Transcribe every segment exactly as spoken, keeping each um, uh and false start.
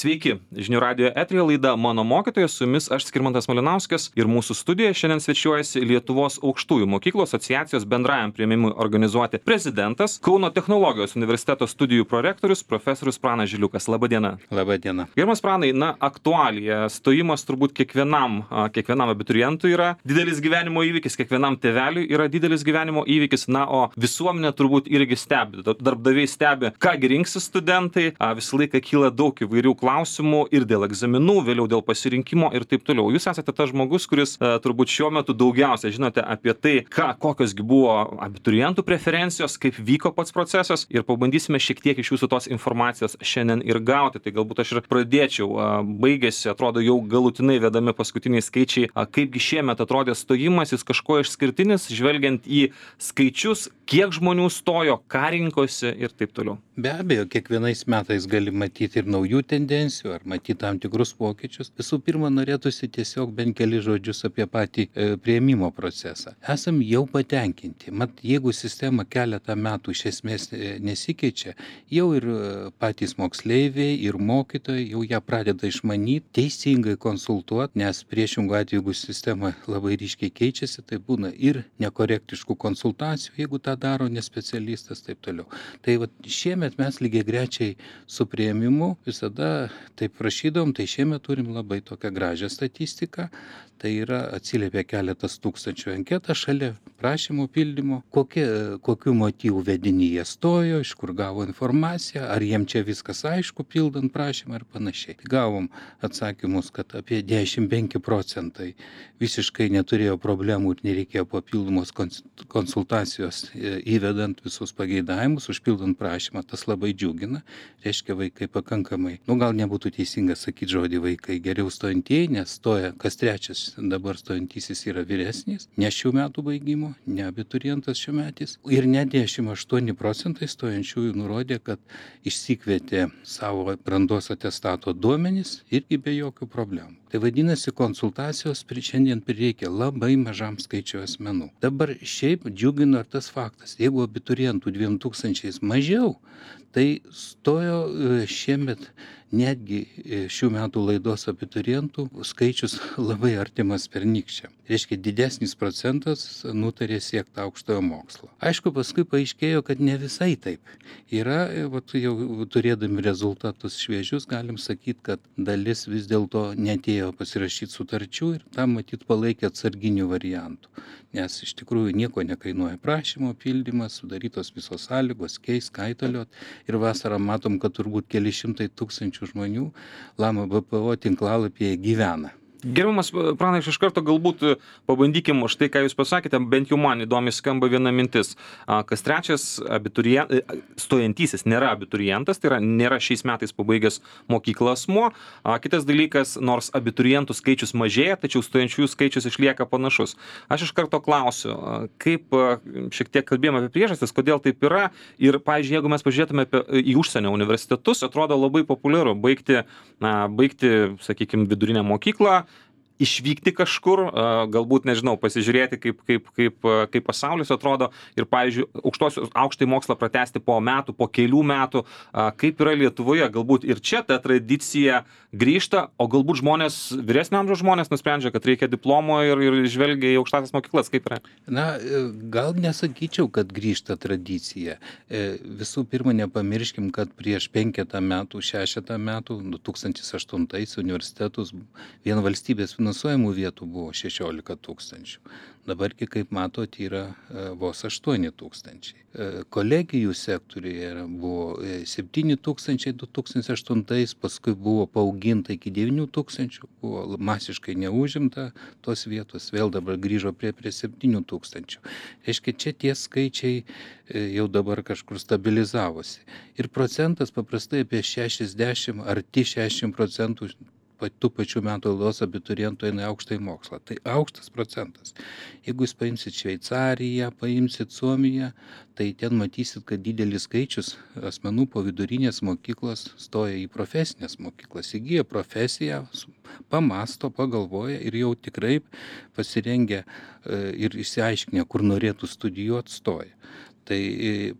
Sveiki, žinių radijo eteryje laida Mano mokytojas, su jumis aš Skirmantas Malinauskas ir mūsų studijoje šiandien svečiuojasi Lietuvos aukštųjų mokyklų asociacijos bendrajam priėmimui organizuoti prezidentas, Kauno technologijos universiteto studijų prorektorius profesorius Pranas Žiliukas. Labą dieną. Labą dieną. Gerbiamas Pranai, na, aktualija, stojimas turbūt kiekvienam, kiekvienam abiturientui yra didelis gyvenimo įvykis, kiekvienam tėveliui yra didelis gyvenimo įvykis, na, o visuomenė turbūt irgi stebi, darbdaviai stebi, kągi rinksis studentai, visą laiką kyla daug įvairių klausimų ir dėl egzaminų, vėliau dėl pasirinkimo ir taip toliau. Jūs esate tas žmogus, kuris uh, turbūt šiuo metu daugiausia žinote apie tai, ką, kokios gi buvo abiturientų preferencijos, kaip vyko pats procesas ir pabandysime šiek tiek iš jūsų tos informacijos šiandien ir gauti. Tai galbūt aš ir pradėčiau. Uh, baigėsi, atrodo, jau galutinai vedami paskutiniai skaičiai. Uh, kaipgi šiemet atrodė stojimas, jis kažko išskirtinis, žvelgiant į skaičius, kiek žmonių stojo, ką rinkosi ir taip toliau. Be abejo, kiekvienais metais gali matyti ir naujų tendencijų, ar matyti tam tikrus pokyčius. Visų pirma, norėtųsi tiesiog bent keli žodžius apie patį e, priėmimo procesą. Esam jau patenkinti. Mat, jeigu sistema keletą metų iš esmės nesikeičia, jau ir patys moksleiviai, ir mokytojai jau ją pradeda išmanyti, teisingai konsultuoti, nes priešingų atveju, jeigu sistema labai ryškiai keičiasi, tai būna ir nekorektiškų konsultacijų, jeigu tą daro nespecialistas, taip toliau. Tai va, šiemet mes lygiai grečiai su priėmimu visada taip prašydom, tai šiemet turim labai tokią gražią statistiką. Tai yra atsiliepia keletas tūkstančių anketą šalia prašymų pildymo, kokie, kokių motyvų vedini jie stojo, iš kur gavo informaciją, ar jiem čia viskas aišku pildant prašymą ar panašiai. Gavom atsakymus, kad apie devyniasdešimt penki procentai visiškai neturėjo problemų ir nereikėjo papildomos konsultacijos įvedant visus pageidavimus, užpildant prašymą. Tas labai džiugina, reiškia vaikai pakankamai, nu gal nebūtų teisinga sakyti žodį vaikai, geriau stojantieji, nes stoja kas trečias dabar stojantysis yra vyresnis, ne šių metų baigimo, ne abiturientas šių metais. Ir net devyniasdešimt aštuoni procentai stojančiųjų nurodė, kad išsikvietė savo brandos atestato duomenis irgi be jokių problemų. Tai vadinasi, konsultacijos šiandien prireikia labai mažam skaičiui asmenų. Dabar šiaip džiugino tas faktas, jeigu abiturientų dviem tūkstančiais mažiau, tai stojo šiemet netgi šių metų laidos abiturientų skaičius labai artimas pernykščiam. Reiškia, didesnis procentas nutarė siekti aukštojo mokslo. Aišku, paskui paaiškėjo, kad ne visai taip. Yra, vat, jau turėdami rezultatus šviežius, galim sakyti, kad dalis vis dėlto netėjo pasirašyti sutarčių ir tam matyt palaikė atsarginių variantų. Nes iš tikrųjų nieko nekainuoja prašymo pildymas, sudarytos visos sąlygos, keis, kaitaliot. Ir vasarą matom, kad turbūt keli šimtai tūkstančių žmonių Lama B P O tinklalapyje gyvena. Gerbiamas Pranai, iš karto galbūt pabandykim už tai, ką jūs pasakėte, bent jau man įdomi skamba viena mintis. Kas trečias abiturientas, stojantysis nėra abiturientas, tai yra nėra šiais metais pabaigęs mokyklą asmuo. Kitas dalykas, nors abiturientų skaičius mažėja, tačiau stojančiųjų skaičius išlieka panašus. Aš iš karto klausiu, kaip šiek tiek kalbėjome apie priežastis, kodėl taip yra. Ir, pavyzdžiui, jeigu mes pažiūrėtume apie, į užsienio universitetus, atrodo labai populiaru baigti, na, baigti, sakykime, vidurinę mokyklą, išvykti kažkur, galbūt, nežinau, pasižiūrėti, kaip, kaip, kaip, kaip pasaulis atrodo ir, pavyzdžiui, aukštąjį mokslą pratęsti po metų, po kelių metų, kaip yra Lietuvoje, galbūt ir čia ta tradicija grįžta, o galbūt žmonės, vyresnio amžiaus žmonės nusprendžia, kad reikia diplomo ir, ir žvelgia į aukštąsias mokyklas, kaip yra? Na, gal nesakyčiau, kad grįžta tradicija. Visų pirma, nepamirškim, kad prieš penketą metų, šešetą metų, du tūkstančiai aštuntais universitetus vien valstybės finansuojamų vietų buvo šešiolika tūkstančių. Dabargi, kaip matot, yra vos aštuoni tūkstančiai. Kolegijų sektoriuje buvo septyni tūkstančiai du tūkstančiai aštuntais, paskui buvo paauginta iki devynių tūkstančių, buvo masiškai neužimta tos vietos, vėl dabar grįžo prie, prie septynių tūkstančių. Reiškia, čia tie skaičiai jau dabar kažkur stabilizavosi. Ir procentas paprastai apie šešiasdešimt, arti šešiasdešimt procentų tų pačių metų laidos abiturientų eina aukštąjį mokslą. Tai aukštas procentas. Jeigu jūs paimsit Šveicariją, paimsit Suomiją, tai ten matysit, kad didelis skaičius asmenų po vidurinės mokyklos stoja į profesinės mokyklas, įgyja profesiją, pamasto, pagalvoja ir jau tikrai pasirengia ir išsiaiškinę, kur norėtų studijuoti, stoja. Tai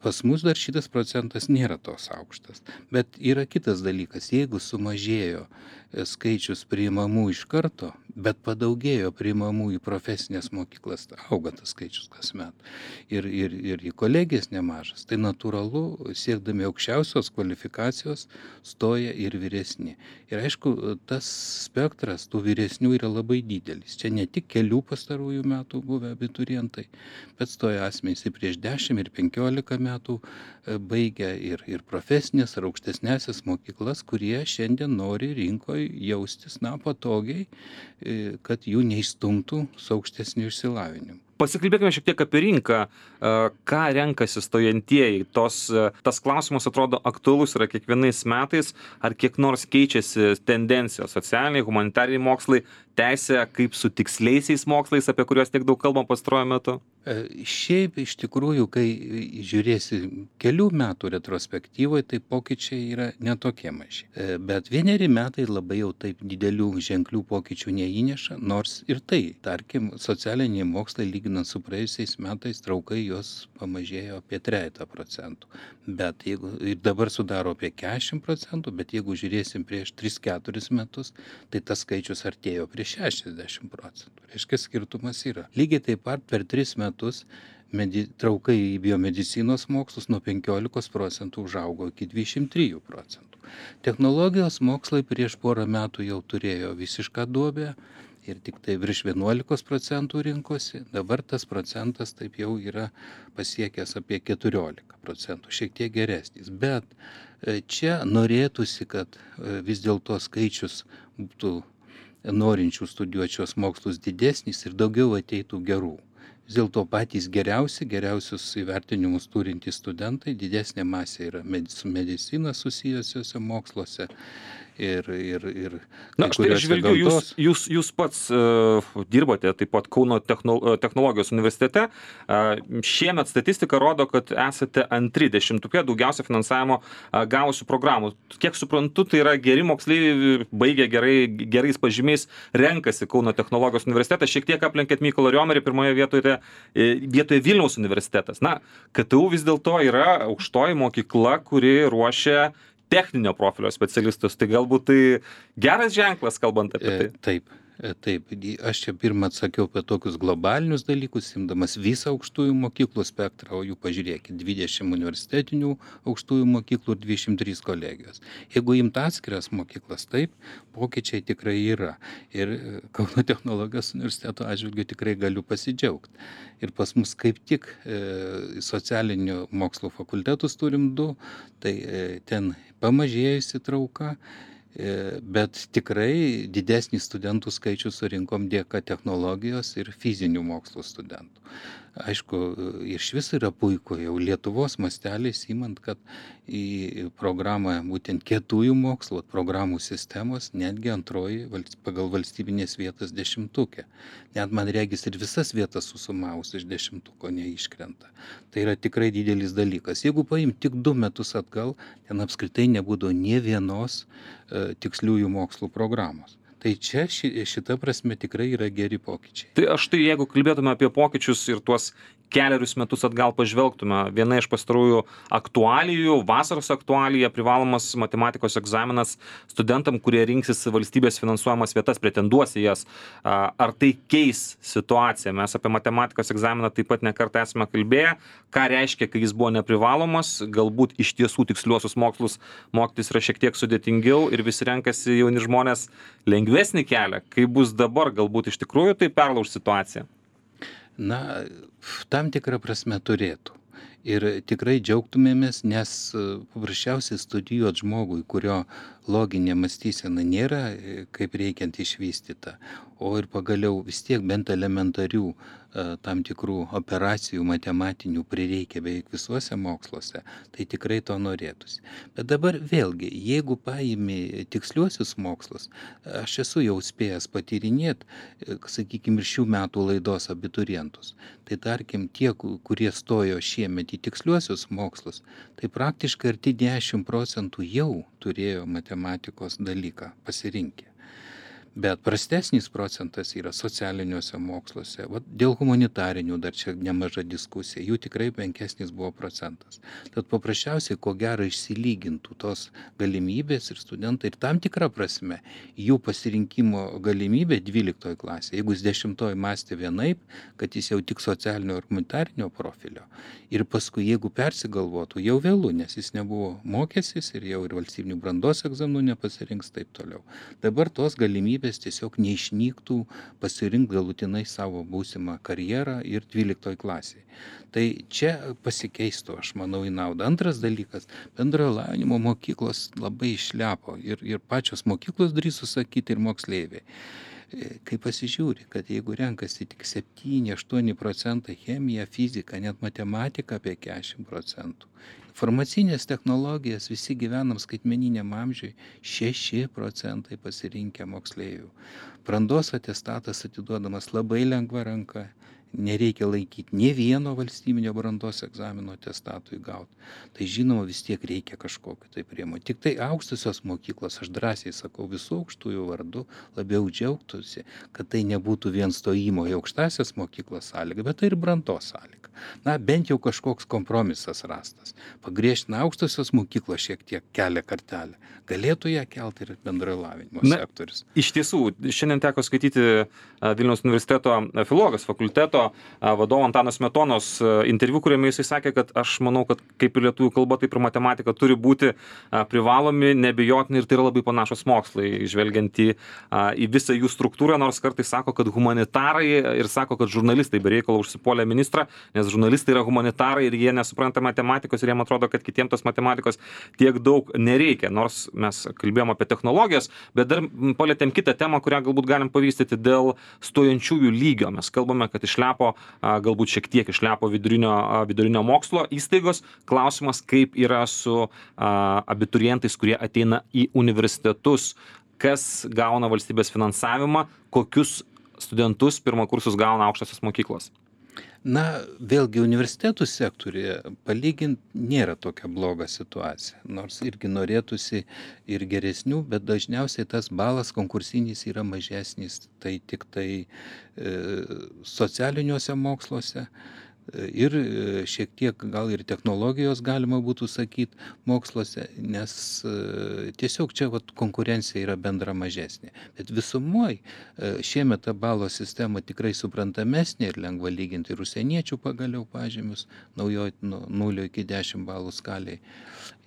pas mus dar šitas procentas nėra toks aukštas. Bet yra kitas dalykas, jeigu sumažėjo skaičius priimamų iš karto, bet padaugėjo priimamų į profesinės mokyklas, auga tas skaičius kasmet. Ir, ir, ir į kolegijas nemažas. Tai natūralu, siekdami aukščiausios kvalifikacijos, stoja ir vyresni. Ir aišku, tas spektras tų vyresnių yra labai didelis. Čia ne tik kelių pastarųjų metų buvę abiturientai, bet stoja asmenys ir prieš dešimt ir penkiolika metų baigę ir, ir profesinės ar aukštesnėsias mokyklas, kurie šiandien nori rinkoje jaustis, na, patogiai, kad jų neįstumtų su aukštesniu išsilavinimu. Pasikalbėkime šiek tiek apie rinką, ką renkasi stojantieji. Tos, tas klausimas atrodo aktualus yra kiekvienais metais, ar kiek nors keičiasi tendencijos socialiniai, humanitariniai mokslai, teisė, kaip su tiksliaisiais mokslais, apie kuriuos tiek daug kalbam pastaruoju metu? Šiaip iš tikrųjų, kai žiūrėsi kelių metų retrospektyvoje, tai pokyčiai yra netokie maži. Bet vieneri metai labai jau taip didelių ženklių pokyčių neįneša, nors ir tai, tarkim, socialiniai mokslai lyginant su praėjusiais metais traukai jos pamažėjo apie trejata procentų. Bet jeigu ir dabar sudaro apie keturiasdešimt procentų, bet jeigu žiūrėsim prieš tris keturis metus, tai tas skaičius artėjo prie šešiasdešimt procentų. Reiškia, skirtumas yra. Lygiai taip pat per tris metus medi, traukai į biomedicinos mokslus nuo penkiolikos procentų užaugo iki dvidešimt trijų procentų. Technologijos mokslai prieš porą metų jau turėjo visišką duobę ir tik tai virš vienuolikos procentų rinkosi. Dabar tas procentas taip jau yra pasiekęs apie keturiolika procentų, šiek tiek geresnis. Bet čia norėtųsi, kad vis dėlto skaičius būtų norinčių studijuoti šios mokslus didesnis ir daugiau ateitų gerų. Vis dėlto patys geriausi, geriausius įvertinimus turintys studentai, didesnė masė yra su medicina susijusiuose moksluose. Ir, ir, ir Na, štai aš žvelgiu, jūs, jūs, jūs pats uh, dirbote taip pat Kauno technologijos universitete. Uh, šiemet statistika rodo, kad esate antri dešimtuke daugiausia finansavimo uh, gavusių programų. Kiek suprantu, tai yra geri moksleiviai, baigę gerai, gerais pažymiais, renkasi Kauno technologijos universitetą. Šiek tiek aplenkėt Mykolą Riomerį, pirmoje vietoje, vietoje Vilniaus universitetas. Na, K T U vis dėlto yra aukštoji mokykla, kuri ruošia techninio profilio specialistus, tai galbūt tai geras ženklas, kalbant apie tai. Taip, taip. Aš čia pirmą atsakiau apie tokius globalinius dalykus, imdamas visą aukštųjų mokyklų spektrą, o jų pažiūrėkit, dvidešimt universitetinių aukštųjų mokyklų ir dvidešimt trys kolegijos. Jeigu imt atskiras mokyklas, taip, pokyčiai tikrai yra. Ir Kauno technologijos universiteto atžvilgiu tikrai galiu pasidžiaugti. Ir pas mus kaip tik e, socialinių mokslų fakultetus turim du, tai e, ten pamažėjusi trauka, e, bet tikrai didesnį studentų skaičių surinkom dėka technologijos ir fizinių mokslų studentų. Aišku, iš vis yra puiku jau Lietuvos masteliais įmant, kad į programą būtent kietųjų mokslų programų sistemos netgi antroji pagal valstybinės vietas dešimtukė. Net man regis ir visas vietas susumavus iš dešimtuko neiškrenta. Tai yra tikrai didelis dalykas. Jeigu paim tik du metus atgal, ten apskritai nebūdavo nė vienos e, tiksliųjų mokslų programos. Tai čia ši, šita prasme tikrai yra geri pokyčiai. Tai aš tai, jeigu kalbėtume apie pokyčius ir tuos keliarius metus atgal pažvelgtume, viena iš pastarųjų aktualijų, vasaros aktualija, privalomas matematikos egzaminas studentam, kurie rinksis valstybės finansuojamas vietas, pretenduos į jas. Ar tai keis situaciją? Mes apie matematikos egzaminą taip pat nekartą esame kalbėję. Ką reiškia, kai jis buvo neprivalomas? Galbūt iš tiesų tiksliuosius mokslus mokytis yra šiek tiek sudėtingiau ir visi renkasi jauni žmonės lengvesnį kelią. Kaip bus dabar, galbūt iš tikrųjų tai perlauž situaciją? Na, tam tikrą prasme turėtų. Ir tikrai džiaugtumėmės, nes paprasčiausiai studijuoti žmogui, kurio loginė mąstysena nėra kaip reikiant išvystyta, o ir pagaliau vis tiek bent elementarių tam tikrų operacijų matematinių prireikia beveik visuose moksluose, tai tikrai to norėtųsi. Bet dabar vėlgi, jeigu paimi tiksliuosius mokslus, aš esu jau spėjęs patyrinėti, sakykime, ir šių metų laidos abiturientus, tai tarkim tie, kurie stojo šiemet į tiksliuosius mokslus, tai praktiškai arti dešimt procentų jau turėjo matematikos dalyką pasirinkę. Bet prastesnis procentas yra socialiniuose moksluose. Vat dėl humanitarinių dar čia nemaža diskusija, jų tikrai menkesnis buvo procentas. Tad paprasčiausiai, ko gero, išsilygintų tos galimybės ir studentai ir tam tikrą prasme jų pasirinkimo galimybė dvyliktoje klasėje, jeigu jis dešimtoje mąstė vienaip, kad jis jau tik socialinio ir humanitarinio profilio, ir paskui jeigu persigalvotų, jau vėlų, nes jis nebuvo mokęsis ir jau ir valstybinių brandos egzaminų nepasirinks taip toliau. Dabar tos galimybės tiesiog neišnyktų pasirinkti galutinai savo būsimą karjerą ir dvyliktoje klasėje. Tai čia pasikeistų, aš manau, į naudą. Antras dalykas, bendrojo lavinimo mokyklos labai išlepo ir, ir pačios mokyklos drįstų sakyti ir moksleiviai. Kai pasižiūri, kad jeigu renkasi tik septyni aštuoni procentai chemiją, fiziką, net matematiką apie keturiasdešimt procentų. Informacinės technologijas visi gyvenam skaitmeniniam amžiui, šeši procentai pasirinkę moksleivių. Brandos atestatas atiduodamas labai lengva ranka. Nereikia laikyti nė vieno valstybinio brandos egzamino atestatui gauti. Tai žinoma, vis tiek reikia kažkokio tai priemonių. Tik tai aukštosios mokyklos, aš drąsiai sakau, visų aukštųjų vardu labiau džiaugtųsi, kad tai nebūtų vien stojimo į aukštasias mokyklas sąlyga, bet tai ir brandos sąlyga. Na, bent jau kažkoks kompromisas rastas. Pagriežtina aukštosios mokyklos šiek tiek kelia kartelę. Galėtų ją kelti ir bendrojo lavinimo sektorius. Iš tiesų, šiandien teko skaityti Vilniaus universiteto filologijos fakulteto vadovo Antano Smetonos interviu, kuriame jisai sakė, kad aš manau, kad kaip ir lietuvių kalba, taip ir matematika turi būti privalomi, nebijotini ir tai yra labai panašus mokslai, žvelgiant į, į visą jų struktūrą, nors kartais sako, kad humanitarai ir sako, kad žurnalistai be reikalo užsipuolė ministrą, nes žurnalistai yra humanitarai ir jie nesupranta matematikos ir jiem atrodo, kad kitiems tos matematikos tiek daug nereikia, nors mes kalbėjom apie technologijas, bet dar palėtėm kitą temą, kurią galbūt galim pavystyti dėl stojančiųjų lygio. Mes kalbame, kad išlepo, galbūt šiek tiek išlepo vidurinio, vidurinio mokslo įstaigos. Klausimas, kaip yra su abiturientais, kurie ateina į universitetus, kas gauna valstybės finansavimą, kokius studentus pirmakursus gauna aukštosios mokyklos. Na, vėlgi universitetų sektorėje palyginti nėra tokia bloga situacija, nors irgi norėtųsi ir geresnių, bet dažniausiai tas balas konkursinis yra mažesnis, tai tik tai e, socialiniuose moksluose ir šiek tiek gal ir technologijos galima būtų sakyti moksluose, nes tiesiog čia vat, konkurencija yra bendra mažesnė. Bet visumoj šiemet ta balo sistema tikrai suprantamesnė ir lengva lyginti ir užsieniečių pagaliau pažymius, naujoji nuo nulio iki dešimt balų skaliai.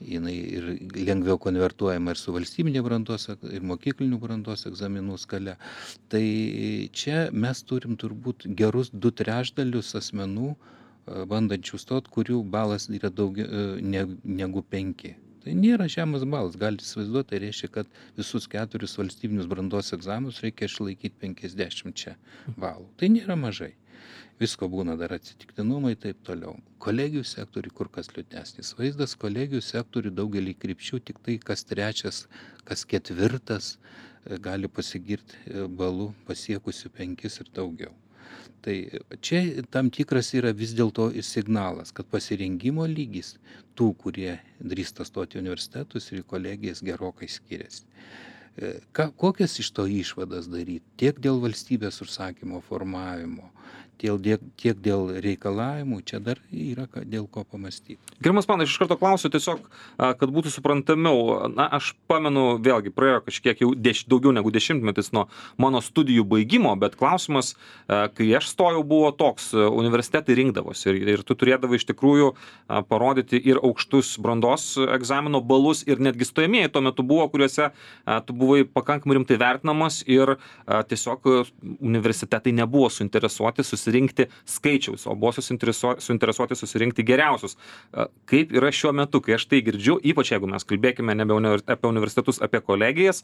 Jinai ir lengviau konvertuojama ir su valstybinė brandos ir mokyklinių brandos egzaminų skale. Tai čia mes turim turbūt gerus du trečdalius asmenų bandančių stot, kurių balas yra daugiau negu penki. Tai nėra žemas balas, galite įsivaizduoti, tai reiškia, kad visus keturis valstybinius brandos egzaminus reikia išlaikyti penkiasdešimt balų. Tai nėra mažai. Visko būna dar atsitiktinumai ir taip toliau. Kolegijų sektoriui kur kas liūdnesnis vaizdas, kolegijų sektoriui daugelį krypčių, tik tai kas trečias, kas ketvirtas gali pasigirti balų pasiekusių penkis ir daugiau. Tai čia tam tikras yra vis dėlto ir signalas, kad pasirengimo lygis tų, kurie drįsta stoti į universitetus ir į kolegijas gerokai skiriasi. Ką, kokias iš to išvadas daryti? Tiek dėl valstybės užsakymo formavimo, tiek, tiek dėl reikalavimų, čia dar yra dėl ko pamastyti. Gerbiamas Panai, iš karto klausiu tiesiog, kad būtų suprantamiau. Na, aš pamenu, vėlgi, praėjo kažkiek jau deš, daugiau negu dešimtmetis nuo mano studijų baigimo, bet klausimas, kai aš stojau, buvo toks, universitetai rinkdavosi ir, ir tu turėdavai iš tikrųjų parodyti ir aukštus brandos egzamino balus ir netgi stojamieji tuo metu buvo, kuriuose tu buvai pakankamai rimtai vertinamas ir tiesiog universitetai nebuvo suinteresuoti susirinkti skaičiaus, o buvo suinteresuoti susirinkti geriausius. Kaip yra šiuo metu, kai aš tai girdžiu, ypač jeigu mes kalbėkime nebe apie universitetus, apie kolegijas,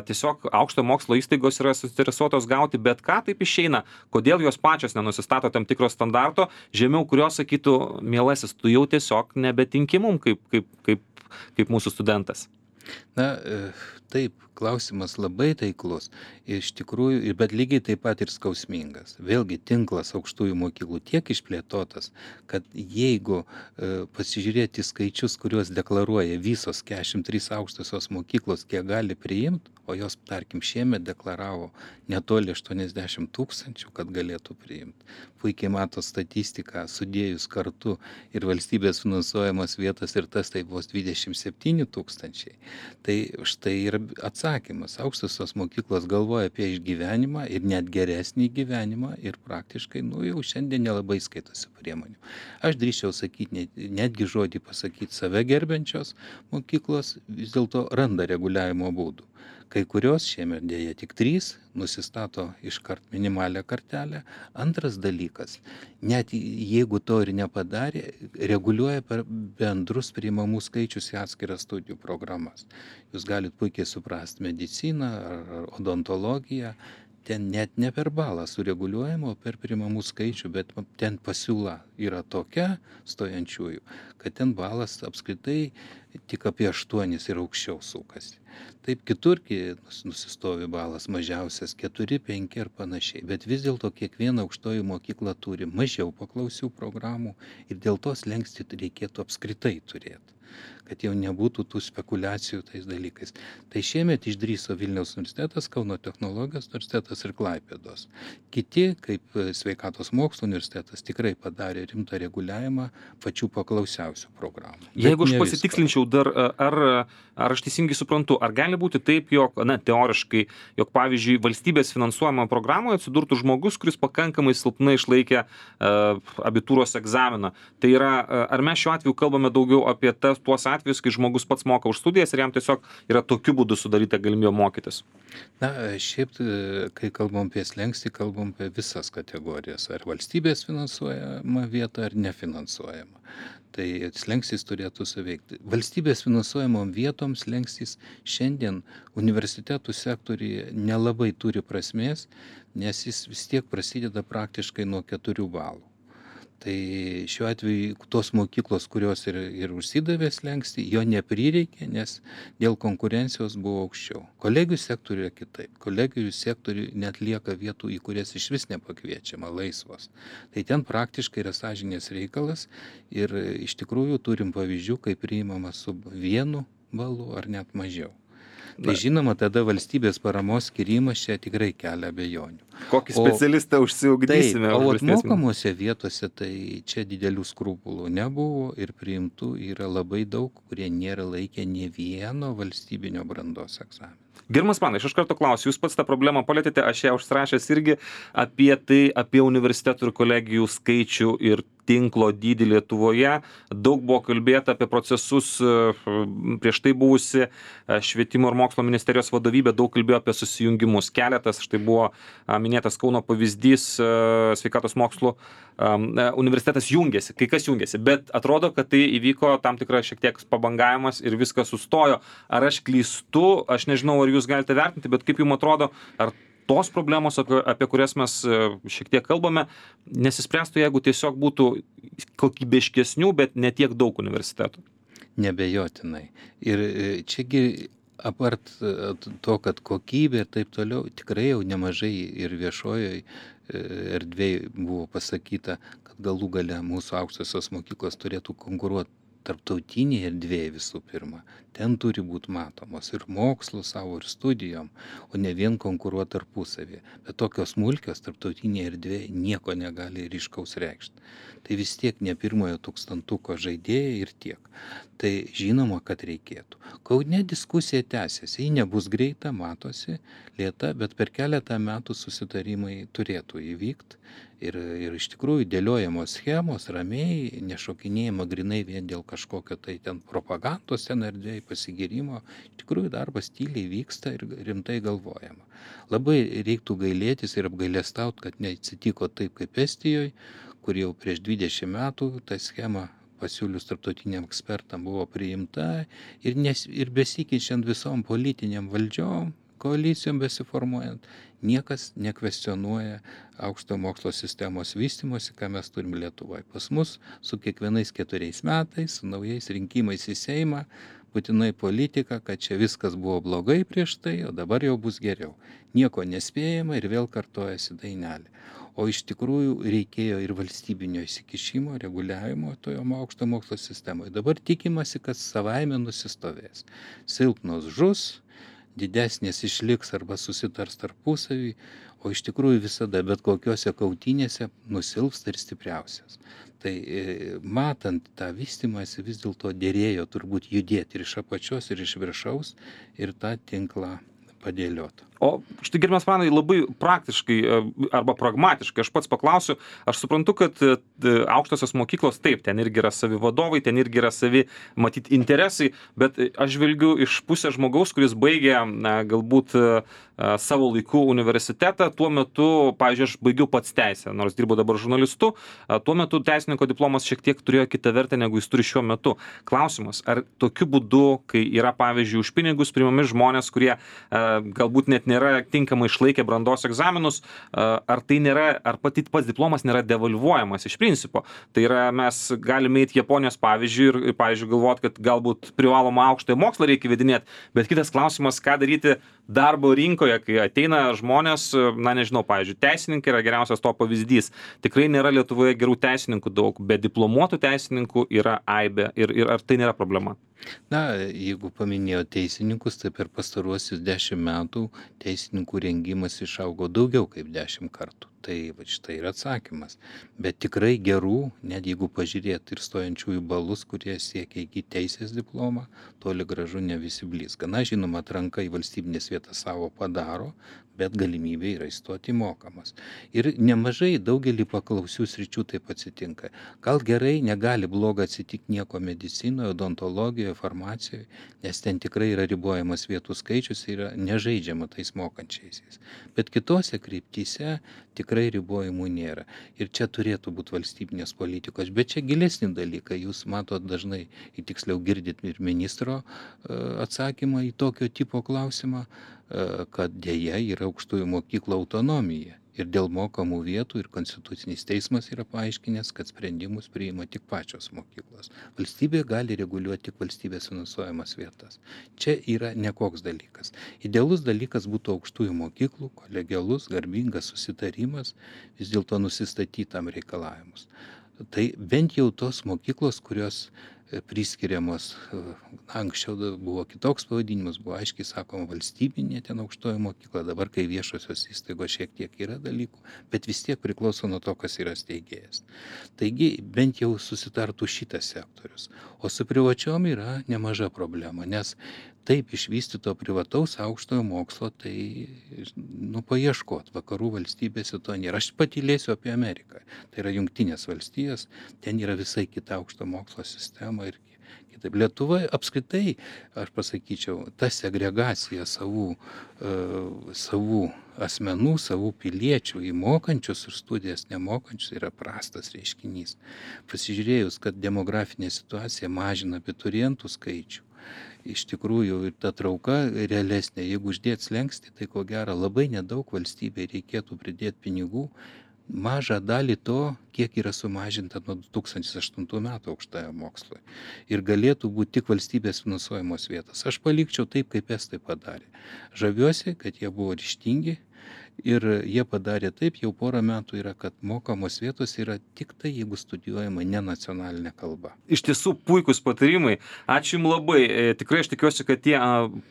tiesiog aukšto mokslo įstaigos yra suinteresuotos gauti bet ką, taip išeina, kodėl jos pačios nenusistato tam tikro standarto, žemiau kurios sakytų, mielasis, tu jau tiesiog nebetinki mum kaip, kaip, kaip, kaip mūsų studentas. Na, taip, klausimas labai taiklus, iš tikrųjų, bet lygiai taip pat ir skausmingas. Vėlgi tinklas aukštųjų mokyklų tiek išplėtotas, kad jeigu e, pasižiūrėti skaičius, kuriuos deklaruoja visos keturiasdešimt trys aukštosios mokyklos, kiek gali priimti, o jos, tarkim, šiemet deklaravo netoli aštuoniasdešimt tūkstančių, kad galėtų priimti. Puikiai mato statistiką, sudėjus kartu ir valstybės finansuojamas vietas ir tas tai vos dvidešimt septyni tūkstančiai. Tai štai ir atsakymas. Aukštosios mokyklos galvoja apie išgyvenimą ir net geresnį gyvenimą ir praktiškai, nu jau šiandien nelabai skaitosi priemonių. Aš drįsčiau sakyti, net, netgi žodį pasakyti, save gerbiančios mokyklos vis dėlto randa reguliavimo būdų. Kai kurios šiemet dėja tik trys nusistato iškart minimalią kartelę. Antras dalykas, net jeigu to ir nepadarė, reguliuoja per bendrus priimamų skaičius į atskiras studijų programas. Jūs galite puikiai suprasti mediciną ar odontologiją. Ten net ne per balą sureguliuojama, o per priimamų skaičių, bet ten pasiūla yra tokia stojančiųjų, kad ten balas apskritai tik apie aštuonis ir aukščiau sukasi. Taip kiturgi nusistovi balas mažiausias keturi, penki ir panašiai, bet vis dėlto kiekviena aukštoji mokykla turi mažiau paklausių programų ir dėl to slenkstį reikėtų apskritai turėti, kad jau nebūtų tų spekulacijų tais dalykais. Tai šiemet išdrįso Vilniaus universitetas, Kauno technologijos universitetas ir Klaipėdos. Kiti, kaip Sveikatos mokslo universitetas, tikrai padarė rimtą reguliavimą pačių paklausiausių programų. Jeigu aš pasitikslinčiau dar, ar, ar aš teisingai suprantu, ar gali būti taip, jog, na, teoriškai, jog, pavyzdžiui, valstybės finansuojama programoje atsidurtų žmogus, kuris pakankamai silpnai išlaikė uh, abitūros egzaminą. Tai yra, uh, ar mes šiuo atveju kalbame daugiau apie tas, tuos atvejus, kai žmogus pats moka už studijas ir jam tiesiog yra tokiu būdu sudaryta galimybė mokytis? Na, šiaip, kai kalbam apie slenkstį, kalbam apie visas kategorijas, ar valstybės finansuojama vieta, ar nefinansuojama. Tai slenkstys turėtų suveikti. Valstybės finansuojamom vietom slenkstys šiandien universitetų sektoriuje nelabai turi prasmės, nes jis vis tiek prasideda praktiškai nuo keturių balų. Tai šiuo atveju tos mokyklos, kurios ir, ir užsidavė slenkstį, jo neprireikė, nes dėl konkurencijos buvo aukščiau. Kolegijų sektoriuje kitaip. Kolegijų sektoriuje net lieka vietų, į kurias iš vis nepakviečiama, laisvos. Tai ten praktiškai yra sąžinės reikalas ir iš tikrųjų turim pavyzdžių, kai priimama su vienu balu ar net mažiau. Tai žinoma, tada valstybės paramos skirimas čia tikrai kelia abejonių. Kokį specialistą o, užsiugdysime? Taip, o atmokamose vietose tai čia didelių skrupulų nebuvo ir priimtų yra labai daug, kurie nėra laikę nė vieno valstybinio brandos egzamino. Gerbiamas Pranai, aš iš karto klausiu, jūs pats tą problemą palėtėte, aš ją užsirašęs irgi apie tai, apie universitetų ir kolegijų skaičių ir tinklo dydį Lietuvoje. Daug buvo kalbėta apie procesus, prieš tai buvusi švietimo ir mokslo ministerijos vadovybė daug kalbėjo apie susijungimus. Keletas, štai buvo minėtas Kauno pavyzdys, sveikatos mokslo universitetas jungiasi, kai kas jungiasi, bet atrodo, kad tai įvyko tam tikra šiek tiek pabangavimas ir viskas sustojo. Ar aš klystu, aš nežinau, ar jūs galite vertinti, bet kaip jums atrodo, ar tos problemos, apie, apie kurias mes šiek tiek kalbame, nesispręstų, jeigu tiesiog būtų kokybiškesnių, bet ne tiek daug universitetų? Nebejotinai. Ir čiagi apart to, kad kokybė ir taip toliau, tikrai jau nemažai ir viešojoje erdvėje buvo pasakyta, kad galų gale mūsų aukštosios mokyklos turėtų konkuruoti tarptautinėje erdvėje visų pirma. Ten turi būti matomos ir mokslo savo, ir studijom, o ne vien konkuruoti tarpusavį. Bet tokios smulkios tarptautinėje erdvėje nieko negali ryškaus reikšti. Tai vis tiek ne pirmojo tūkstantuko žaidėjai ir tiek. Tai žinoma, kad reikėtų. Kaune diskusija tęsiasi, ji nebus greita, matosi, lėta, bet per keletą metų susitarimai turėtų įvykti. Ir, ir iš tikrųjų dėliojamos schemos, ramiai, nešokinėjama grinai vien dėl kažkokio tai ten propagandos ten erdvėje pasigirimo. Iš tikrųjų darbas tyliai vyksta ir rimtai galvojama. Labai reiktų gailėtis ir apgailestauti, kad neatsitiko taip kaip Estijoje, kur jau prieš dvidešimt metų ta schema pasiūlius tarptautiniam ekspertam buvo priimta ir, nes, ir besikeičiant visom politiniam valdžiom, koalicijom besiformuojant, niekas nekvestionuoja aukšto mokslo sistemos vystymosi, ką mes turim Lietuvoje. Pas mus su kiekvienais keturiais metais, su naujais rinkimais į Seimą, būtinai politika, kad čia viskas buvo blogai prieš tai, o dabar jau bus geriau. Nieko nespėjama ir vėl kartojasi dainelė. O iš tikrųjų reikėjo ir valstybinio įsikišimo, reguliavimo toje aukšto mokslo sistemoje. Dabar tikimasi, kad savaime nusistovės. Silpnos žus, didesnės išliks arba susitars tarpusavį, o iš tikrųjų visada bet kokiuose kautynėse nusilpsta ir stipriausias. Tai matant tą vystymąsi vis dėlto dėrėjo turbūt judėti ir iš apačios, ir iš viršaus ir tą tinklą padėlioti. O štai, gerbiamas Pranai, labai praktiškai arba pragmatiškai aš pats paklausiu, aš suprantu, kad aukštosios mokyklos, taip, ten irgi yra savi vadovai, ten irgi yra savi, matyt, interesai, bet aš žvelgiu iš pusės žmogaus, kuris baigė na, galbūt savo laiku universitetą, tuo metu, pavyzdžiui, aš baigiau pats teisę, nors dirbu dabar žurnalistu, tuo metu teisininko diplomas šiek tiek turėjo kitą vertę, negu jis turi šiuo metu. Klausimas, ar tokiu būdu, kai yra, pavyzdžiui, už pinigus priimami žmonės, kurie galbūt net nėra tinkamai išlaikę brandos egzaminus, ar tai nėra, ar pati pats diplomas nėra devalvuojamas iš principo. Tai yra, mes galime eiti Japonijos pavyzdžiui ir, pavyzdžiui, galvoti, kad galbūt privalomą aukštąją mokslą reikia vedinėti, bet kitas klausimas, ką daryti darbo rinkoje, kai ateina žmonės, na nežinau, pavyzdžiui, teisininkai yra geriausias to pavyzdys. Tikrai nėra Lietuvoje gerų teisininkų daug, bet diplomuotų teisininkų yra aibė. Ir, ir ar tai nėra problema? Na, jeigu paminėjo teisininkus, tai per pastaruosius dešimt metų teisininkų rengimas išaugo daugiau kaip dešimt kartų. Tai va štai yra atsakymas. Bet tikrai gerų, net jeigu pažiūrėt ir stojančiųjų balus, kurie siekia įgyti teisės diplomą, toli gražu ne visi blizga. Na, žinoma, atranka į valstybinės vietas savo padaro, bet galimybė yra įstoti mokamas. Ir nemažai daugelį paklausių sričių taip atsitinka. Gal gerai, negali bloga atsitikti nieko medicinoje, odontologijoje, farmacijoje, nes ten tikrai yra ribojamas vietų skaičius ir yra nežaidžiama tais mokančiaisiais. Bet kitose kryptyse tikrai ribojimų nėra. Ir čia turėtų būti valstybinės politikos. Bet čia gilesni dalykai. Jūs matot dažnai, tiksliau girdit ir ministro atsakymą į tokio tipo klausimą, kad dėja yra aukštųjų mokyklų autonomija. Ir dėl mokamų vietų ir Konstitucinis teismas yra paaiškinęs, kad sprendimus priima tik pačios mokyklos. Valstybė gali reguliuoti tik valstybės finansuojamas vietas. Čia yra nekoks dalykas. Idealus dalykas būtų aukštųjų mokyklų, kolegialus, garbingas susitarimas, vis dėlto nusistatytam reikalavimus. Tai bent jau tos mokyklos, kurios priskiriamos, anksčiau buvo kitoks pavadinimas, buvo aiškiai sakoma valstybinė ten aukštoji mokykla, dabar kai viešosios įstaigos šiek tiek yra dalykų, bet vis tiek priklauso nuo to, kas yra steigėjas. Taigi bent jau susitartų šitas sektorius. O su privačiom yra nemaža problema, nes taip išvystyto privataus aukštojo mokslo, tai nu, paieškot, vakarų valstybėse to nėra. Aš patylėsiu apie Ameriką. Tai yra Jungtinės valstijos, ten yra visai kita aukšto mokslo sistema ir kitaip. Lietuva apskritai, aš pasakyčiau, ta segregacija savų, uh, savų asmenų, savų piliečių į mokančius ir studijas nemokančius yra prastas reiškinys. Pasižiūrėjus, kad demografinė situacija mažina abiturientų skaičių, iš tikrųjų ir ta trauka realesnė, jeigu uždėt slenkstį, tai ko gero labai nedaug valstybei reikėtų pridėti pinigų, mažą dalį to, kiek yra sumažinta nuo du tūkstančiai aštuntų metų aukštajam mokslui. Ir galėtų būti tik valstybės finansuojamos vietos. Aš palikčiau taip, kaip estai padarė. Žaviuosi, kad jie buvo ryžtingi. Ir jie padarė taip, jau porą metų yra, kad mokamos vietos yra tik tai, jeigu studijuojama ne nacionalinė kalba. Iš tiesų puikus patarimai. Ačiū Jums labai. Tikrai aš tikiuosi, kad tie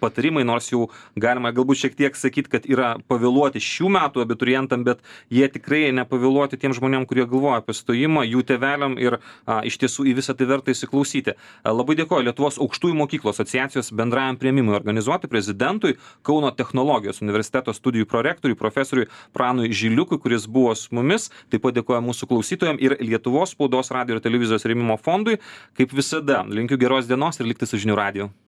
patarimai, nors jau galima galbūt šiek tiek sakyti, kad yra pavėluoti šių metų abiturientam, bet jie tikrai nepavėluoti tiem žmonėm, kurie galvoja apie stojimą, jų tėveliam ir a, iš tiesų į visą tai verta įsiklausyti. A, labai dėkoju Lietuvos aukštųjų mokyklų asociacijos bendrajam priėmimui organizuoti prezidentui, Kauno technologijos universiteto studijų prorektoriui, profesoriui Pranui Žiliukui, kuris buvo su mumis. Taip pat dėkoju mūsų klausytojams ir Lietuvos spaudos, radijo ir televizijos rėmimo fondui. Kaip visada, linkiu geros dienos ir likti su žinių radiju.